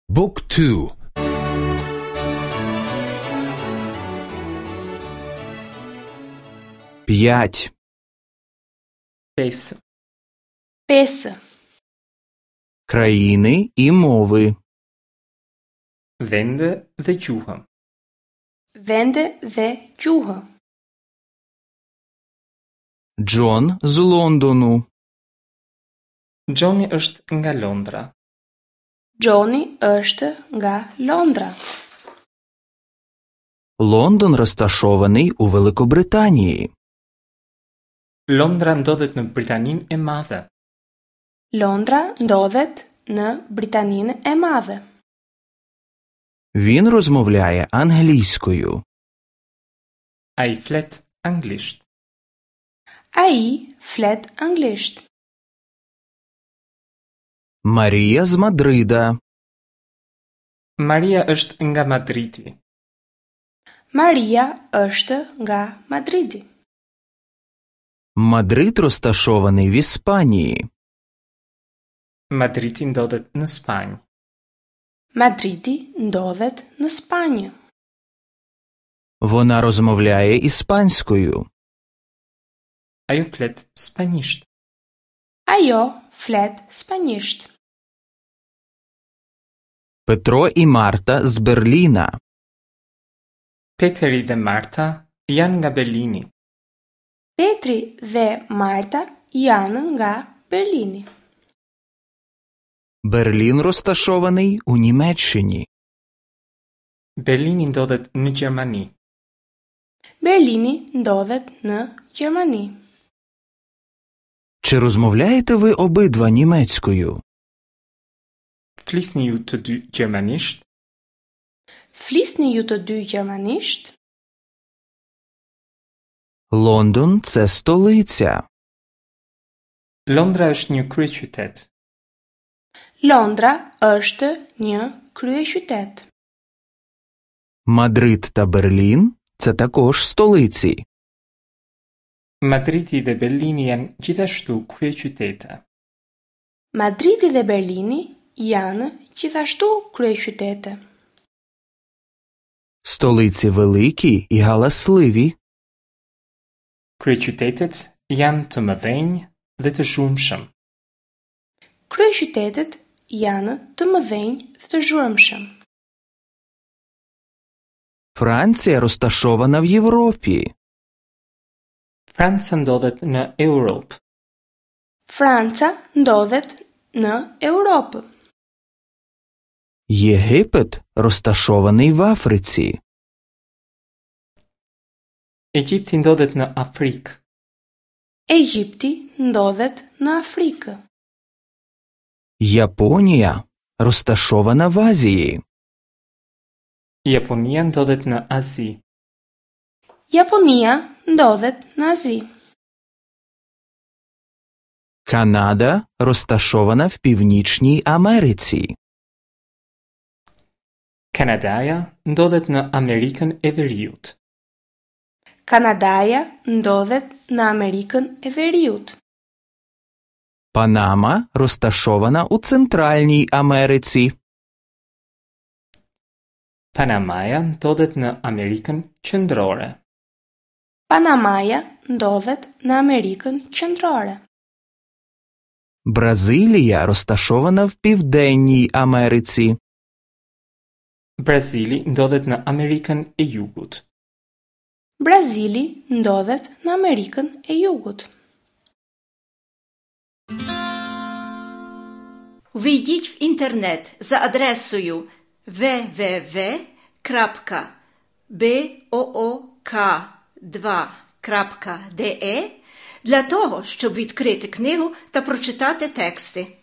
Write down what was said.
Book 2. П'ять. Пес. Pesa. Країни і мови. Vende dhe gjuhë. Vende dhe gjuhë. Джон з Лондону. Gjoni është nga Londra. Gjoni është nga Londra. Лондон розташований у Великобританії. Londra ndodhet në Britaninë e Madhe. Londra ndodhet në Britaninë e Madhe. Він розмовляє англійською. Ai flet anglisht. Ai flet anglisht. Марія з Мадрида. Maria është nga Madridi. Maria është nga Madridi. Мадрид розташований в Іспанії. Madridi ndodhet në Spanjë. Madridi ndodhet në Spanjë. Вона розмовляє іспанською. Ajo flet spanjisht. Ajo flet spanjisht. Петро і Марта з Берліна. Petri dhe Marta janë nga Berlini. Petri dhe Marta janë nga Berlini. Берлін розташований у Німеччині. Berlini ndodhet në Gjermani. Berlini ndodhet në Gjermani. Чи розмовляєте ви обидва німецькою? Flisni ju të dy gjermanisht? Flisni ju të dy gjermanisht? Лондон – це столиця. Londra është një kryeqytet. Londra është një kryeqytet. Мадрид та Берлін – це також столиці. Madridi dhe Berlini janë gjithashtu kryeqytete. Madridi dhe Berlini janë gjithashtu kryeqytete. Столиці великі і галасливі. Kryeqytetet janë të mëdhenj dhe të zhurmshëm. Kryeqytetet janë të mëdhenj dhe të zhurmshëm. Франція розташована в Європі. Franca ndodhet në Europë. Franca ndodhet në Europë. Єгипет розташований в Африці. Egjipti ndodhet në Afrikë. Egjipti ndodhet në Afrikë. Японія розташована в Азії. Japonia ndodhet në Azi. Japonia ndodhet në Azi. Канада розташована в Північній Америці. Kanadaja ndodhet në Amerikën e Veriut. Kanadaja ndodhet në Amerikën e Veriut. Панама розташована у Центральній Америці. Panamaja ndodhet në Amerikën Qendrore. Panamaja ndodhet në Amerikën Qendrore. Бразилія розташована в Південній Америці. Brazili ndodhet në Amerikën e Jugut. Brazili ndodhet në Amerikën e Jugut. Ввійдіть в інтернет за адресою www.book2.de для того, щоб відкрити книгу та прочитати тексти.